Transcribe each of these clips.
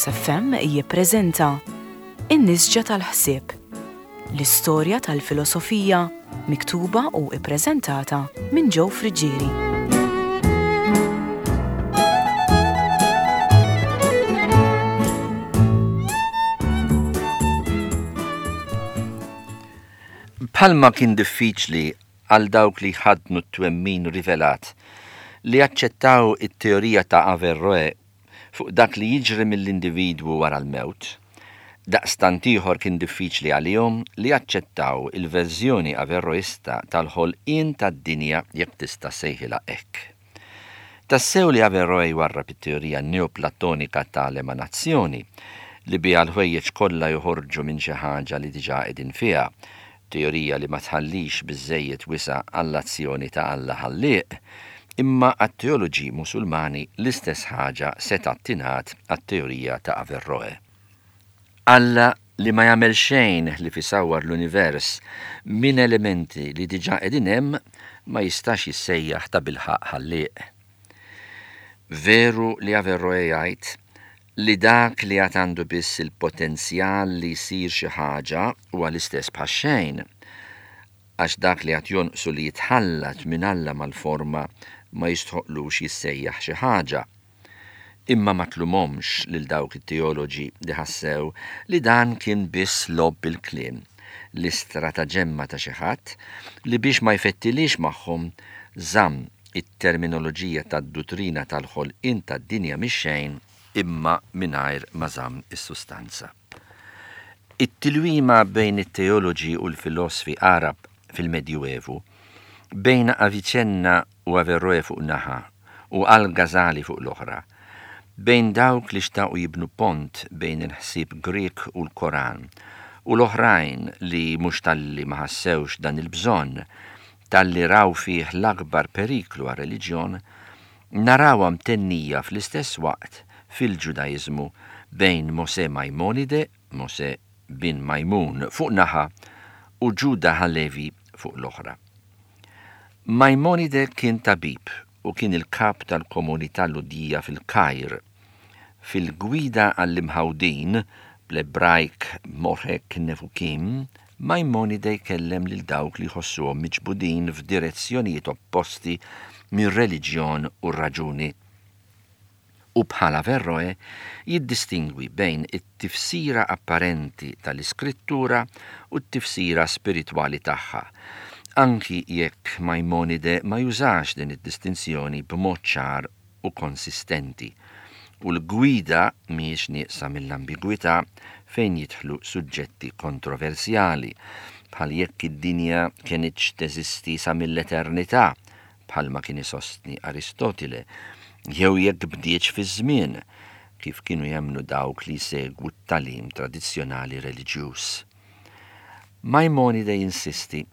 FM jippreżenta In-Nisġa tal-Ħsieb, l-istorja tal-filosofija miktuba u ppreżentata minn Joe Friggieri. Bħalma kien diffiċli għal dawk li jħaddnu t-twemmin rivelat li jaċċettaw it-teorija ta' Averroè fuq dak li jiġri mill-individwu wara l-mewt, daqstant ieħor kien diffiċli għalihom li jaċċettaw il-verżjoni Averroista tal-ħolqien tad-dinja jekk tista' ssejħilha hekk. Tassew li Averroè jwarrab it-teorija Neoplatonika ta' l-emanazzjoni, li biha l-ħwejjeġ kollha joħorġu minn xi ħaġa li diġà qegħdin fiha, teorija li ma tħallix biżżejjed wisa' għall-azzjoni ta' Alla Ħallieq, imma għat-teoloġi Musulmani l-istess ħaġa setgħet tingħad għat-teorija ta' Averroè. Alla li ma jagħmel xejn ħlief isawwar l-univers minn elementi li diġà qegħdin hemm ma jistax jissejjaħ tabilħaqq Ħallieq. Veru li Averroè jgħid li dak li għad għandu biss il-potenzjal li jsir xi ħaġa huwa l-istess bħax-xejn, għax dak li għad jonqsu li jitħallat minn Alla mal-forma ma jistħoqqlux jissejjaħ xi ħaġa. Imma ma tlumhomx lil dawk it-teoloġi li ħassew li dan kien biss logħob bil-kliem, l-istrataġemma ta' xi ħadd li biex ma jfettilhiex magħhom żamm it-terminoloġija tad-duttrina tal-ħolqien tad-dinja mix-xejn imma mingħajr ma żamm is-sustanza. It-tilwima bejn it-teoloġi u l-filosfi Għarab fil-Medjuevu, bejn Avicenna u Averroè fuq naħa u Al-Ghazali fuq l-oħra, bejn dawk li xtaqu jibnu pont bejn il-ħsieb Grieg u l-Koran u l-oħrajn li mhux talli ma ħassewx dan il-bżonn, talli raw fih l-akbar periklu għar-reliġjon, narawha mtennija fl-istess waqt fil-Ġudaiżmu bejn Mosè Maimonide, Mosè bin Majmun, fuq naħa u Ġuda Halevi fuq l-oħra. Maimonide kien tabib u kien il-kap tal-komunità Lhudija fil-Kajr. Fil-Gwida għall-Imħawdin, bl-Ebrajk Moreh Nevukim, Maimonide jkellem lil dawk li jħossuhom miġbudin f'direzzjonijiet opposti mir-reliġjon u r-raġuni. U bħal Averroè jiddistingwi bejn it-tifsira apparenti tal-Iskrittura u t-tifsira spiritwali tagħha, anki jekk Maimonide ma jużax din id-distinzjoni b'mod ċar u konsistenti, u l-gwida mhijiex nieqsa mill-ambigwità fejn jidħlu suġġetti kontroversjali, bħal jekk id-dinja kenitx teżisti sa mill-eternità, bħalma kien isostni Aristotile, jew jekk bdietx fiż-żmien, kif kienu jemmnu dawk li jsegwu t-tagħlim tradizzjonali reliġjuż. Maimonide jinsisti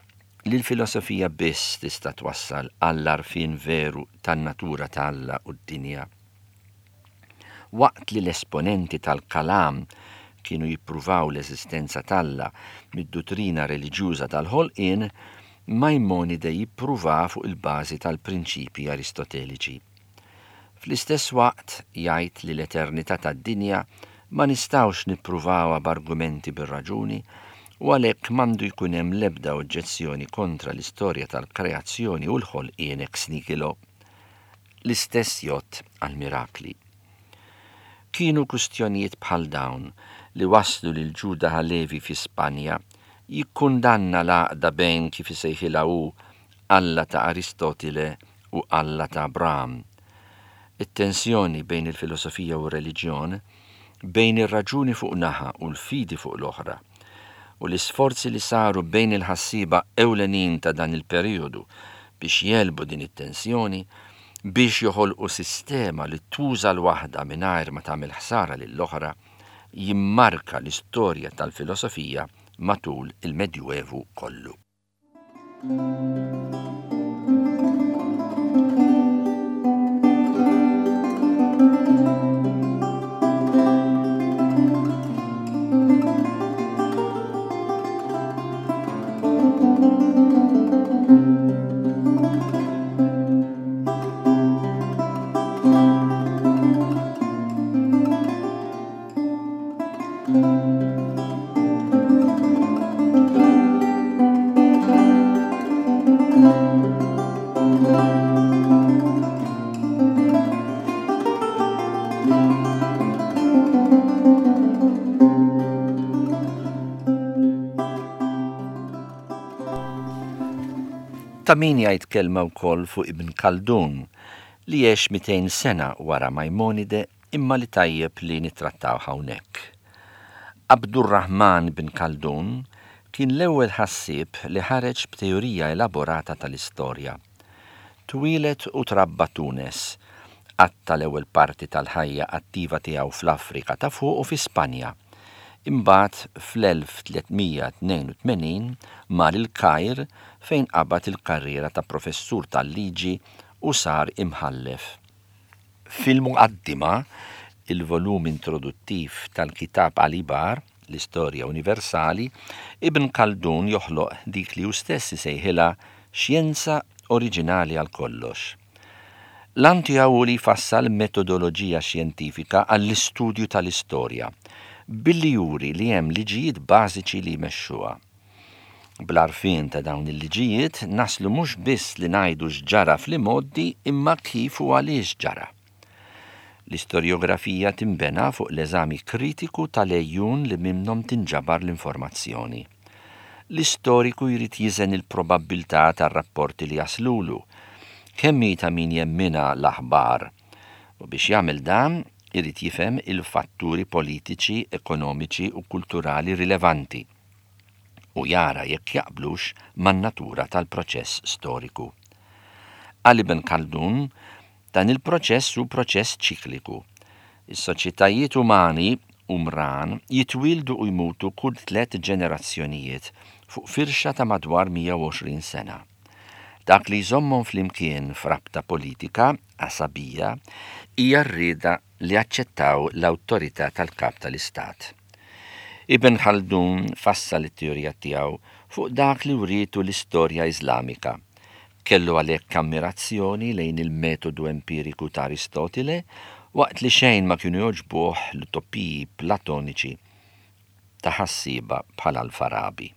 li l-filosofija biss tista' twassal għall-għarfien veru tan-natura ta' Alla u d-dinja. Waqt li l-esponenti tal-Kalam kienu jippruvaw l-eżistenza t'Alla mid-duttrina reliġjuża tal-ħolqien, Maimonide jippruvaha fuq il-bażi tal-prinċipji Aristoteliċi. Fl-istess waqt jgħid li l-eternità tad-dinja ma nistgħux nippruvawha b'argumenti bir-raġuni u għalhekk m'għandu jkun hemm l-ebda oġġezzjoni kontra l-istorja tal-kreazzjoni u l-ħolqien ex nihilo. L-istess jgħodd għall-mirakli. Kienu kwistjonijiet bħal dawn li wasslu lil Ġuda Halevi fi Spanja jikkundanna l-għaqda bejn, kif isejħilha hu, Alla ta' Aristotile u Alla ta' Abraham. It-tensjoni bejn il-filosofija u r-reliġjon, bejn ir-raġuni fuq naħa u l-fidi fuq l-oħra, u l-isforzi li saru bejn il-ħassieba ewlenin ta' dan il-perijodu biex jegħlbu din it-tensjoni, biex joħolqu sistema li tuża l-waħda mingħajr ma tagħmel ħsara lill-oħra, jimmarka l-istorja tal-filosofija matul il-Medjuevu kollu. Ta' min jgħid kelma wkoll fuq Ibn Khaldun, li għex 200 sena wara Majmonide imma li tajjeb li nittrattawh hawnhekk. Abdurrahman ibn Khaldun kien l-ewwel ħassieb li ħareġ b'teorija elaborata tal-istorja. Twieled u trabba Tunes. Qatta' l-ewwel parti tal-ħajja attiva tiegħu fl-Afrika ta' Fuq u fi Spanja. Imbagħad fl-1382 mar il-Kajr fejn qabad il-karriera ta' professur tal-liġi u sar imħallef. Fil-Muqaddima, il-volum introduttiv tal-Kitab al-Ibar, l-Istorja Universali, Ibn Khaldun joħloq dik li hu stess isejħilha xjenza oriġinali għal kollox. L-għan tiegħu hu li jfassal metodoloġija xjentifika għall-istudju tal-istorja, billi juri li hemm liġijiet bażiċi li jmexxuha. Bl-għarfien ta' dawn il-liġijiet naslu mhux biss li ngħidu x'ġara fl-imgħoddi imma kif u għaliex ġara. L-istorjografija tinbena fuq l-eżami kritiku tal-għejun li minnhom tinġabar l-informazzjoni. L-istoriku jrid jiżen il-probabbiltà tar-rapporti li jaslulu, kemm hi ta' min jemminha l-aħbar, u biex jagħmel dan irid jifhem il-fatturi politiċi, ekonomiċi u kulturali rilevanti u jara jekk jaqblux man-natura tal-proċess storiku. Għal Ibn Khaldun, Dan il-proċess hu proċess ċikliku. Is-soċjetajiet umani, umran, jitwieldu u jmutu kull tlett ġenerazzjonijiet fuq firxa ta' madwar 120 sena. Dak li jżommhom flimkien f'rabta politika, għasabija, hija r-rieda li jaċċettaw l-awtorità tal-kap tal-istat. Ibn Khaldun fassal it-teorija tiegħu fuq dak li wrietu l-istorja Iżlamika. Kellu għalhekk ammirazzjoni lejn il-metodu empiriku ta' Aristotile waqt li xejn ma kienu jogħġbuh l-utopiji Platoniċi ta' ħassieba bħal Al-Farabi.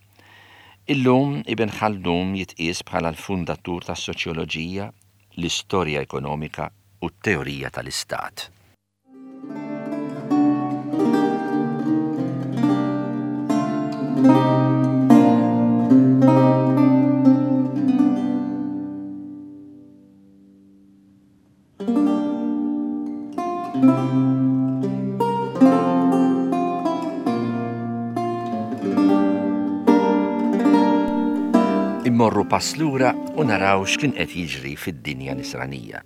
Illum Ibn Khaldun jitqies bħala l-fundatur tas-soċjoloġija, l-istorja ekonomika u t-teorija tal-istat. Immorru pass lura u naraw x'kien qed jiġri fid-dinja nisranija.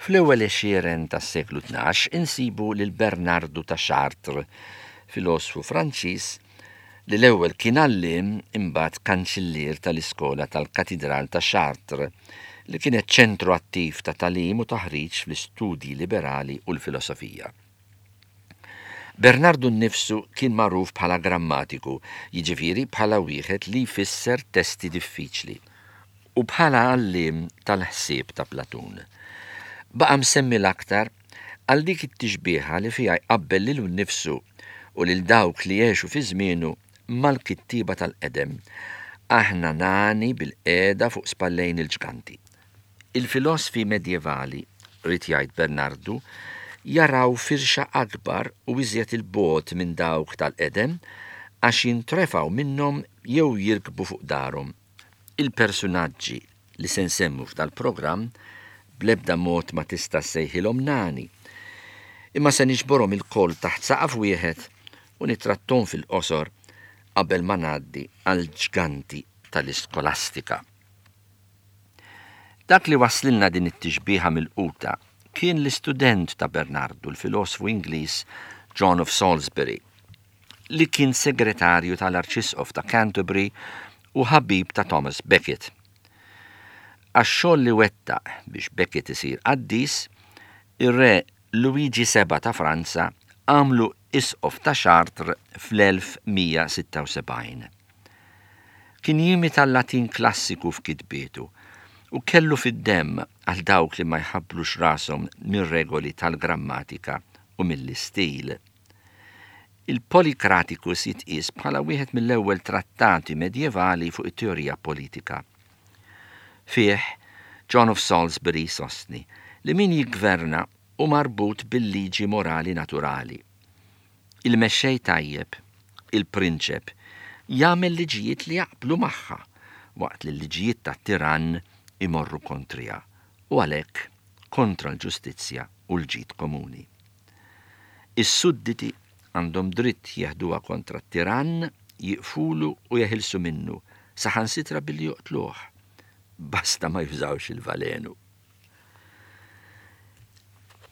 Fl-ewwel għexieren tas-seklu 12 insibu lil Bernardu ta' Chartres, filosfu Franċiż li l-ewwel kien għalliem imbagħad kanċillier tal-iskola tal-Katidral ta' Chartres, li kienet ċentru attiv ta' tagħlim u taħriġ fl-istudji liberali u l-filosofija. Bernardu nnifsu kien magħruf bħala grammatiku, jiġifieri bħala wieħed li jfisser testi diffiċli, u bħala għalliem tal-ħsieb ta' Platun. Baqa' msemmi l-aktar għal dik it-tixbieha li fiha jqabbel lilu nnifsu u lil dawk li għexu fi żmienu mal-kittieba tal-qedem, Aħna nagħni bil-qiegħda fuq spallejn il-ġganti. Il-filosfi medjevali, ried jgħid Bernardu, jaraw firxa akbar u iżjed 'il bogħod minn dawk tal-qedem għax jintrefgħu minnhom jew jirkbu fuq darhom. Il-persunaġġi li se nsemmu f'dal-programm bl-ebda mod ma tista' ssejħilhom nani. Imma se niġborhom ilkoll taħt saqaf wieħed u nittratthom fil-qosor qabel ma ngħaddi għall-ġganti tal-iskolastika. Dak li wasslilna din it-tixbieha milquta kien l-istudent ta' Bernardu, l-filosfu Ingliż John of Salisbury. li kien segretarju tal-Arċisqof ta' Canterbury u ħabib ta' Thomas Becket. Għax-xogħol li wettaq biex Becket isir qaddis, ir-Re Luigi Seba' ta' Franza għamlu Isqof ta' Chartres fl-1176. Kien jimita l-Latin klassiku f'kitbietu u kellu fid-demm għal dawk li ma jħabblux rashom mir-regoli tal-grammatika u mill-istil. Il-Polycraticus jitqies bħala wieħed mill-ewwel trattati medjevali fuq it-teorija politika. Fih, John of Salisbury jsostni li min jiggverna hu marbut bil-liġi morali naturali. Il-mexxej tajjeb, il-prinċep, jagħmel liġijiet li jaqblu magħha, waqt li l-liġijiet tat-tirann imorru kontriha u għalhekk kontra l-ġustizzja u l-ġid komuni. Is-sudditi għandhom dritt jeħduha kontra t-tirann, jiqfulu u jeħilsu minnu, saħansitra billi joqtluh, basta ma jużawx il-valenu.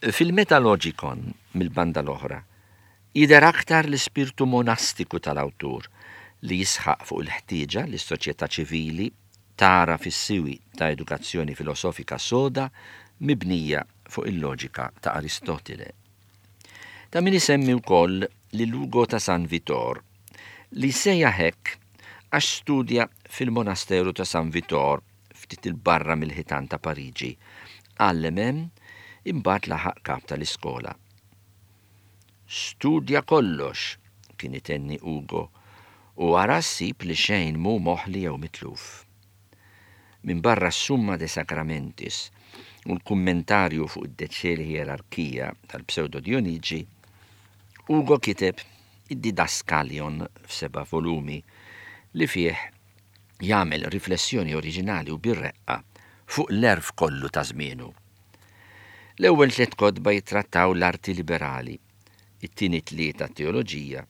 Fil-Metalogikon, mill-banda l-oħra, jidher aktar l-ispirtu monastiku tal-awtur li jisħaq fuq il-ħtieġa li s-soċjetà ċivili tagħraf is-siwi ta' edukazzjoni filosofika soda mibnija fuq il-loġika ta' Aristotile. Ta' min isemmi wkoll lil Ugo ta' San Vitor, li ssejjaħ hekk għax studja fil-monasteru ta' San Vitor ftit 'il barra mill-ħitan ta' Pariġi, għallem hemm, imbagħad laħaq kap tal-iskola. Studja kollox, kien itenni Ugo, u ara ssib li xejn mhu moħli jew mitluf. Minbarra s-Summa de Sacramentis u l-kummentarju fuq id-De Celi Hierarchia tal-Pseudo Dionigi, Ugo kiteb id-Didaskalion f'seba' volumi li fih jagħmel riflessjoni oriġinali u bir-reqqa fuq l-għerf kollu ta' żmienu. L-ewwel tliet kotba jittrattaw l-arti liberali, it-tieni tlieta t-teoloġija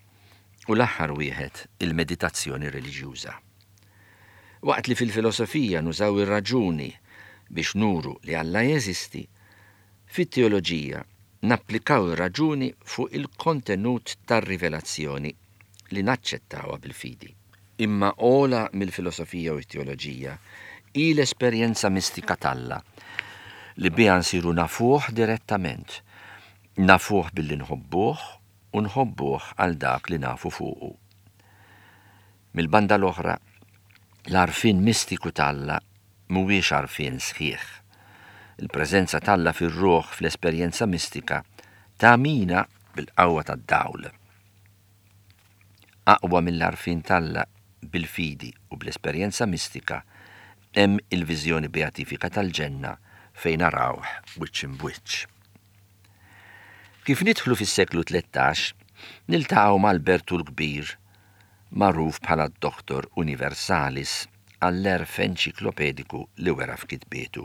u l-aħħar wieħed il-meditazzjoni reliġjuża. Waqt li fil-filosofija nużaw ir-raġuni biex nuru li Alla jeżisti, fit-teoloġija napplikaw ir-raġuni fuq il-kontenut tar-rivelazzjoni li naċċettawha bil-fidi. Imma ogħla mill-filosofija u t-teoloġija hi l-esperjenza mistika t'Alla, li biha nsiru nafuh direttament. Nafuh billi nħobbuh u nħobbuh għal dak li nafu fuqu. Mill-banda l-oħra, l-għarfien mistiku t'Alla mhuwiex għarfien sħiħ. Il-preżenza t'Alla fir-ruħ fl-esperjenza mistika tagħmina bil-qawwa tad-dawl. Aqwa mill-għarfien t'Alla bil-fidi u bl-esperjenza mistika hemm il-viżjoni beatifika tal-ġenna fejn narawh wiċċ imb'wiċċ. Kif nidħlu fis-seklu 13, niltaqgħu ma' Albertu l-Kbir, magħruf bħala d-Doctor Universalis għall-għerf enċiklopediku li wera f'kitbietu.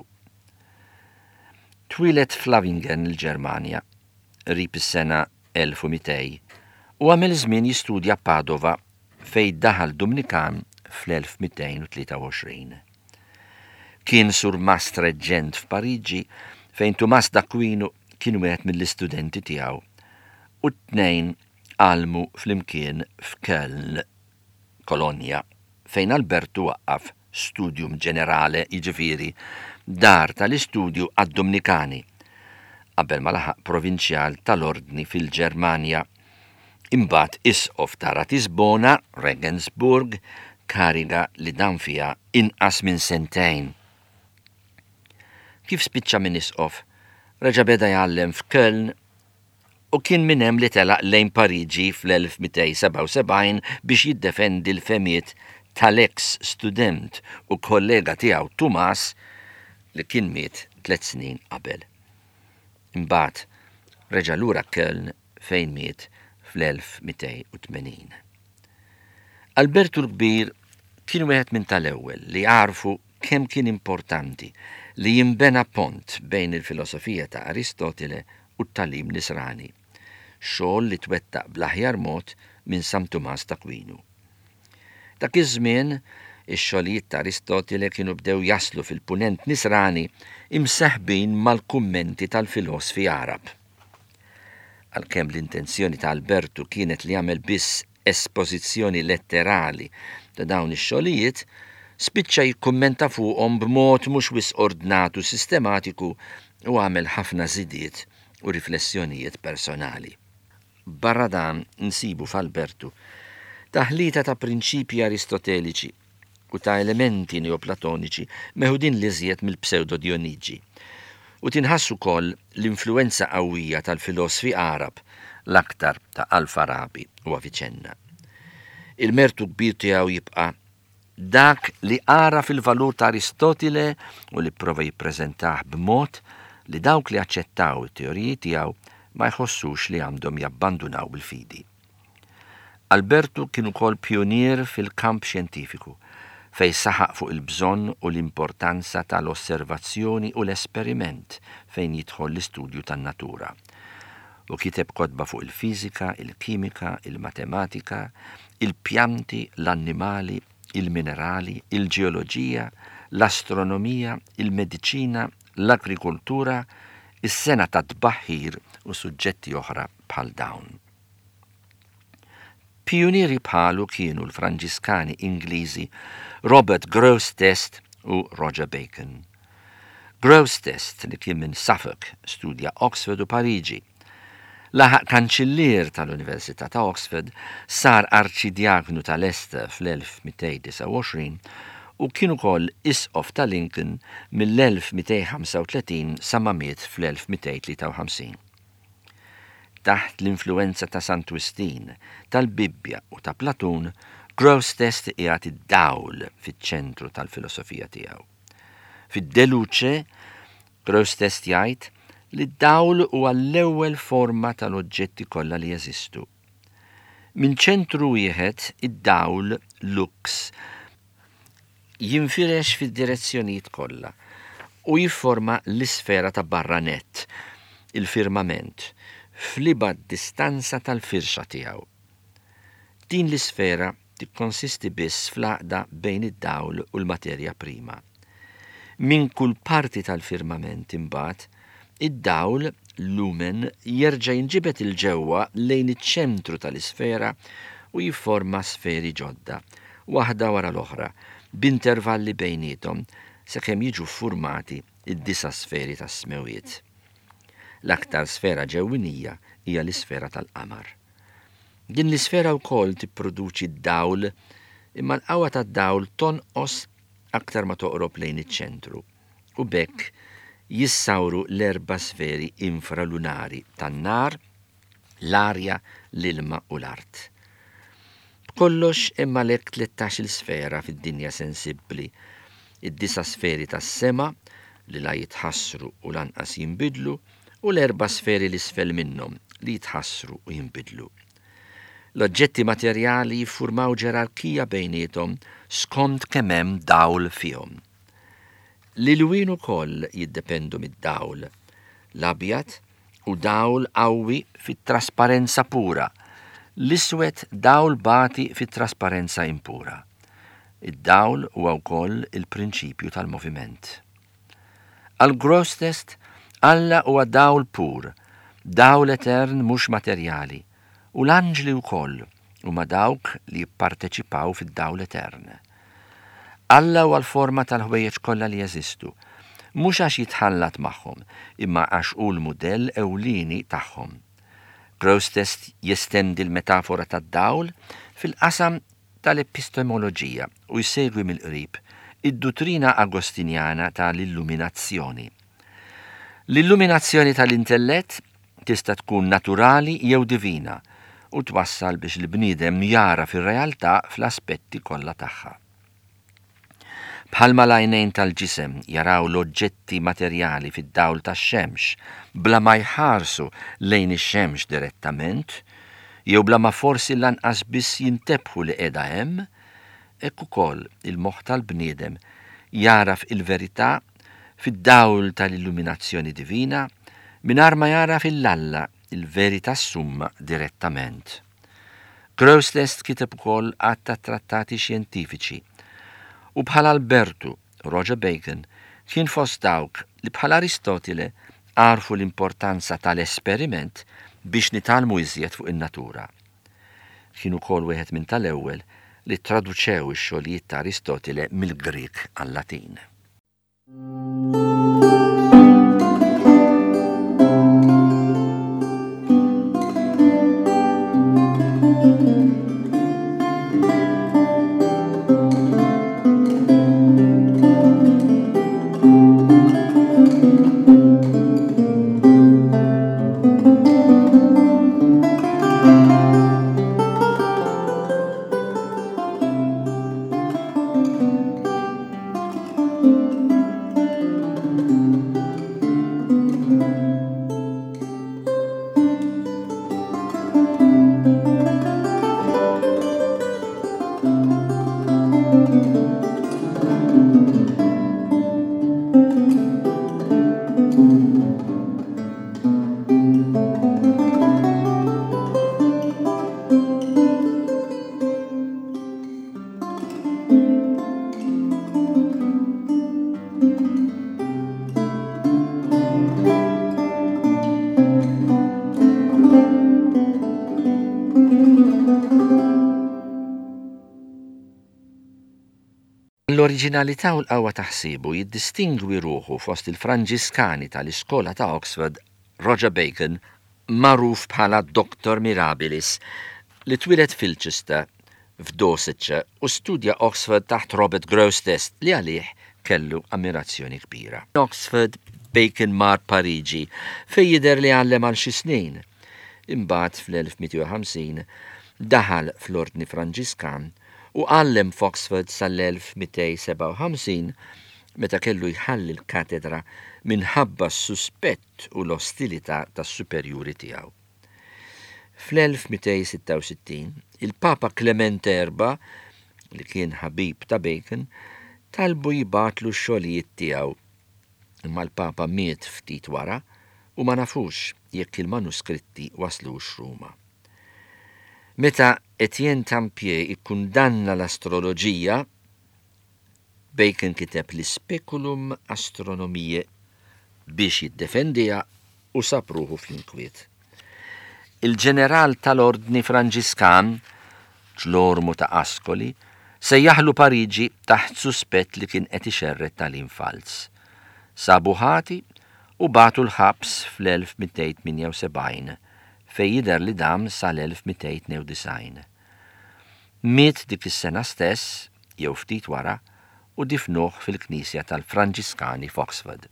Twieled f'Lawingen, il-Ġermanja, qrib is-sena 1200 u għamel żmien jistudja Padova fejn daħal Dumnikan fl-1223. Kien surmast reġġent f'Pariġi fejn Tumas d'Aquinu kien wieħed mill-istudenti tiegħu u t-tnejn għallmu flimkien f'Köln. Kolonja, fejn Albertu waqqaf Studium Generale, jiġifieri dar tal-istudju għad-Dumnikani, qabel ma laħaq provinċjal tal-Ordni fil-Ġermanja, imbagħad Isqof ta' Ratisbona, Regensburg, kariga li dam fiha inqas minn sentejn. Kif spiċċa minn isqof, reġa' beda jgħallem f'Köln u kien minn hemm li telaq lejn Pariġi fl-1277 biex jiddefendi l-fehmiet tal-eks student u kollega tiegħu Tumas li kien miet tliet snin qabel. Imbagħad reġa' lura Köln fejn miet fl-1280. Albertu l-Kbir kien wieħed minn tal-ewwel li għarfu kemm kien importanti li jinbena pont bejn il-filosofija ta' Aristotile u t-tagħlim Nisrani, xogħol li twettaq bl-aħjar mod minn San Tumas t'Akwinu. Dak iż-żmien, ix-xogħlijiet ta' Aristotile kienu bdew jaslu fil-Punent Nisrani imseħbin mal-kummenti tal-filosfi Għarab. Għalkemm l-intenzjoni ta' Albertu kienet li jagħmel biss espożizzjoni letterali ta' dawn ix-xogħlijiet, spiċċa jikkummenta fuqhom b'mod mhux wisq ordnat u sistematiku u għamel ħafna żidiet u riflessjonijiet personali. Barra dan nsibu f'Albertu taħlita ta' prinċipji Aristoteliċi u ta' elementi Neoplatoniċi meħudin l-iżjed mill-Psewdo-Dionigi, u tinħass ukoll l-influwenza qawwija tal-filosfi Għarab, l-aktar ta' Al-Farabi u Avicenna. Il-mertu kbir tiegħu jibqa' dak li għaraf il-valur ta' Aristotile u li pprova jippreżentah b'mod li dawk li aċċettaw it-teoriji tiegħu ma jħossux li għandhom jabbandunaw il-fidi. Albertu kien ukoll pjunier fil-kamp xjentifiku. fejn saħaq fuq il-bżonn u l-importanza ta' l-osservazzjoni u l-esperiment fejn jidħol l-istudju tan-natura. U kiteb kotba fuq il-fiżika, il-kimika, il-matematika, il-pjanti, l-annimali, il-minerali, il-ġeoloġija, l-astronomija, il-mediċina, l-agrikoltura, is-sengħa tat-tbaħħir u suġġetti oħra bħal dawn. Pijunieri bħalu kienu l-Franġiskani Ingliżi Robert Grosseteste u Roger Bacon. Grosseteste, li kien minn Suffolk, studja Oxford u Pariġi. Laħaq kanċillier tal-Università ta' Oxford, sar Arċidjaknu ta' Leicester fl-1229 u kien ukoll Isqof ta' Lincoln mill-1235 sa ma miet fl-1253. Taħt l-influwenza ta' Sant Wistin, tal-Bibbja u ta' Platun, Grosseteste qiegħed id-dawl fiċ-ċentru tal-filosofija tiegħu. Fid-De Luce, Grosseteste jgħid li d-dawl huwa l-ewwel forma tal-oġġetti kollha li jeżistu. Minn ċentru wieħed, id-dawl, lux, jinfirex fid-direzzjonijiet kollha u jifforma l-isfera ta' barra nett, il-firmament, fl-ibgħad distanza tal-firxa tiegħu. Din l-isfera tikkonsisti biss fl-għaqda bejn id-dawl u l-materja prima. Minn kull parti tal-firmament, imbagħad, id-dawl, lumen, jerġa' jinġibed 'il ġewwa lejn iċ-ċentru tal-isfera u jifforma sferi ġodda, waħda wara l-oħra, b'intervalli bejniethom sakemm jiġu ffurmati d-disa' sferi tas-smewwiet. L-aktar sfera ġewwinija hija l-isfera tal-qamar. Din l-isfera wkoll tipproduċi d-dawl imma l-qawwa tad-dawl tonqos aktar ma toqrob lejn iċ-ċentru u b'hekk jissawru l-erba' sferi infralunari tan-nar, l-arja, l-ilma u l-art. B'kollox hemm għalhekk tlettax-il sfera fid-dinja sensibbli, id-disa' sferi tas-sema, li la jitħassru u lanqas jinbidlu, u l-erba' sferi 'l isfel minnhom, li jitħassru u jinbidlu. L-oġġetti materjali jiffurmaw ġerarkija bejniethom skont kemm hemm dawl fihom. L-ilwien ukoll jiddependu mid-dawl. L-abjad hu dawl qawwi fit-trasparenza pura, l-iswed dawl bati fit-trasparenza impura. Id-dawl huwa wkoll il-prinċipju tal-moviment. Għal Grosseteste, Alla huwa dawl pur, dawl etern mhux materjali, u l-anġli wkoll huma dawk li jipparteċipaw fid-dawl etern. Alla huwa l-forma tal-ħwejjeġ kollha li jeżistu, mhux għax jitħallat magħhom, imma għax hu l-mudell ewlieni tagħhom. Grosseteste jestendi l-metafora tad-dawl fil-qasam tal-epistemoloġija u jsegwi mill-qrib id-duttrina Agostinjana ta' l-illuminazzjoni. L-illuminazzjoni ta' l-intellett tista' tkun naturali jew divina u twassal biex il-bniedem jagħraf ir-realtà fl-aspetti kollha tagħha. Bħalma l-għajnejn tal-ġisem jaraw l-oġġetti materjali fid-dawl tax-xemx bla ma jħarsu lejn ix-xemx direttament, jew bla ma forsi lanqas biss jintebħu li qiegħda hemm, hekk ukoll il-moħħ tal-bniedem jagħraf il-verità fid-dawl tal-illuminazzjoni divina mingħajr ma jagħraf 'il Alla, il-verità summa direttament. Grosseteste kiteb ukoll għadd ta' trattati xjentifiċi u bħal Albertu, Roger Bacon kien fost dawk li bħal Aristotile għarfu l-importanza tal-esperiment biex nitgħallmu iżjed fuq in-natura. Kien ukoll wieħed minn tal-ewwel li ttraduċew ix-xogħlijiet ta' Aristotile mill-Grieg għal-Latin. L-oriġinalità u l-qawwa ta' ħsiebu jiddistingwi ruħu fost il-Franġiskani tal-Iskola ta' Oxford Roger Bacon, magħruf bħala Doctor Mirabilis, li twieled f'Ilchester, f'Dorsetshire u studja Oxford taħt Robert Grosseteste li għalih kellu ammirazzjoni kbira. Oxford, Bacon mar Pariġi, fejn jidher li għallem għal xi snin. Imbagħad fl-1250 daħal fl-Ordni Franġiskan u għallem f'Oxford sal-1257 meta kellu jħalli l-katedra minħabba s-suspett u l-ostilità tas-superjuri tiegħu. Fl-1266, il-Papa Klemente Erbgħa, li kien ħabib ta' Bacon, talbu jibgħatlu x-xogħlijiet tiegħu. Imma l-Papa miet ftit wara u ma nafux jekk il-manuskritti waslux Ruma. Meta Etienne Tampier ikkundanna l-astroloġija, Bacon kiteb l-Speculum Astronomiae biex jiddefendiha u sab ruħu fl-inkwiet. Il-ġeneral tal-Ordni Franġiskan, Ġlormu ta' Ascoli, sejjaħlu Pariġi taħt suspett li kien qed ixerred tagħlim falz. Sabu ħati u bagħtu l-ħabs fl-1278, fejn jidher li dam sal-1292. Miet dik is-sena stess, jew ftit wara, u difnuh fil-knisja tal-Franġiskani f'Oxford.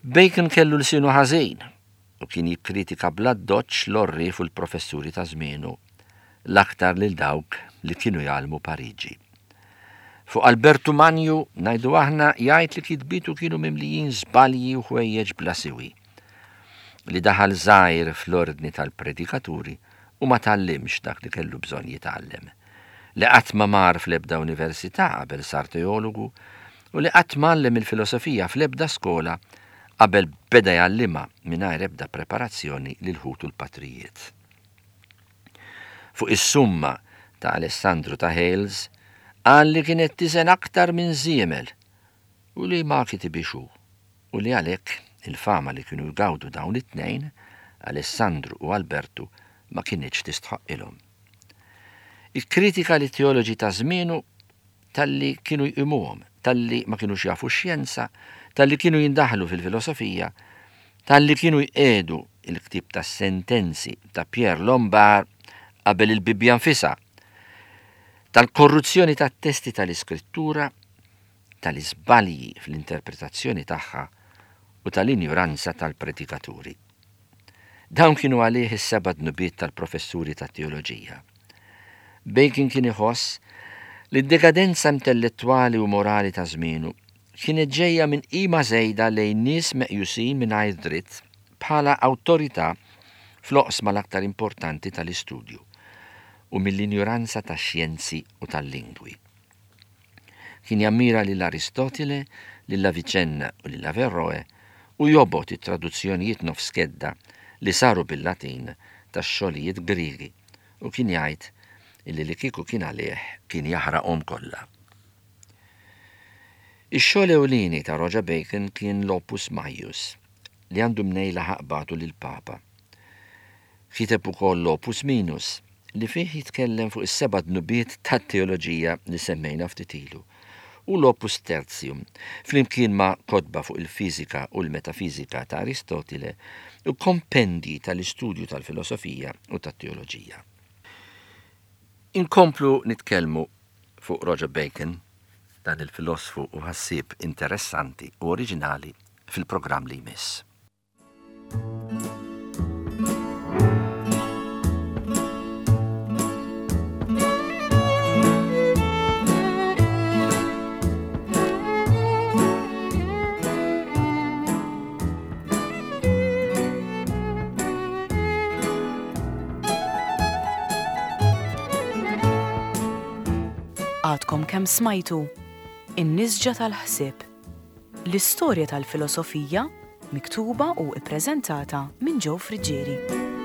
Bacon kellu lsienu ħażin u kien jikkritika bl-addoċċ l-għorrief u l-professuri ta' żmienu, l-aktar lil dawk li kienu jgħallmu Pariġi. Fuq Albertu Manju, ngħidu aħna, jgħid li kitbietu kienu mimlijin żbalji u ħwejjeġ bla siwi. Li daħal żgħir fl-ordni tal-predikaturi u ma tgħallimx dak li kellu bżonn jitgħallem. Li qatt ma mar fl-ebda università qabel sar teologu u li qatt m'għallem il-filosofija fl-ebda skola qabel beda jgħallimha mingħajr ebda preparazzjoni lil ħutu l-patrijiet. Fuq is-Summa ta' Alessandru ta' Hales qal li kienet tiżen aktar minn żiemel u li ma kitibhiex hu. u li għalhekk il-fama li kienu jgawdu dawn it-tnejn, Alessandru u Albertu, ma kinitx tistħoqqilhom. Ikkritika lit-teoloġi ta' żmienu talli kienu jqimuhom, talli ma kinux jafu x-xjenza, talli kienu jindaħlu fil-filosofija, talli kienu jqiegħdu l-ktieb tas-sentenzi ta' Pierre Lombard qabel il-Bibbja nfisha, tal-korruzzjoni tat-testi tal-Iskrittura, tal-iżbalji fl-interpretazzjoni tagħha u tal-injuranza tal-predikaturi. Dawn kienu għalih is-seba' dnubiet tal-professuri tat-teoloġija. Bacon kien iħoss li d-dekadenza intellettwali u morali ta' żmienu kienet ġejja minn qima żejda lejn nies meqjusin mingħajr dritt bħala awtorità fl-oqsma l-aktar importanti tal-istudju u mill-injuranza tax-xjenzi u tal-lingwi. Kien jammira lil Aristotile, lil Avicenna u lil Averroe u jobgħod it-traduzzjonijiet nofs kedda li saru bil-Latin tax-xogħlijiet Griegi u kien jgħid illi li kieku kien għalih kien jaħraqhom kollha. Ix-xogħol ewlieni ta' Roger Bacon kien l-Opus Maius li għandu mnejn laħaq bagħtu lill-Papa. Kiteb ukoll l-Opus Minus, li fih jitkellem fuq is-seba' dnubiet tat-teoloġija li semmejna ftit ilu, u l-Opus Tertium, flimkien ma' kotba fuq il-fiżika u l-metafiżika ta' Aristotile u kompendji tal-istudju tal-filosofija u tat-teoloġija. Inkomplu nitkellmu fuq Roger Bacon, dan il-filosfu u ħassieb interessanti u oriġinali fil-programm li jmiss. Għadkom kemm smajtu In-Nisġa tal-Ħsieb. L-istorja tal-filosofija miktuba u ippreżentata minn Joe Friggieri.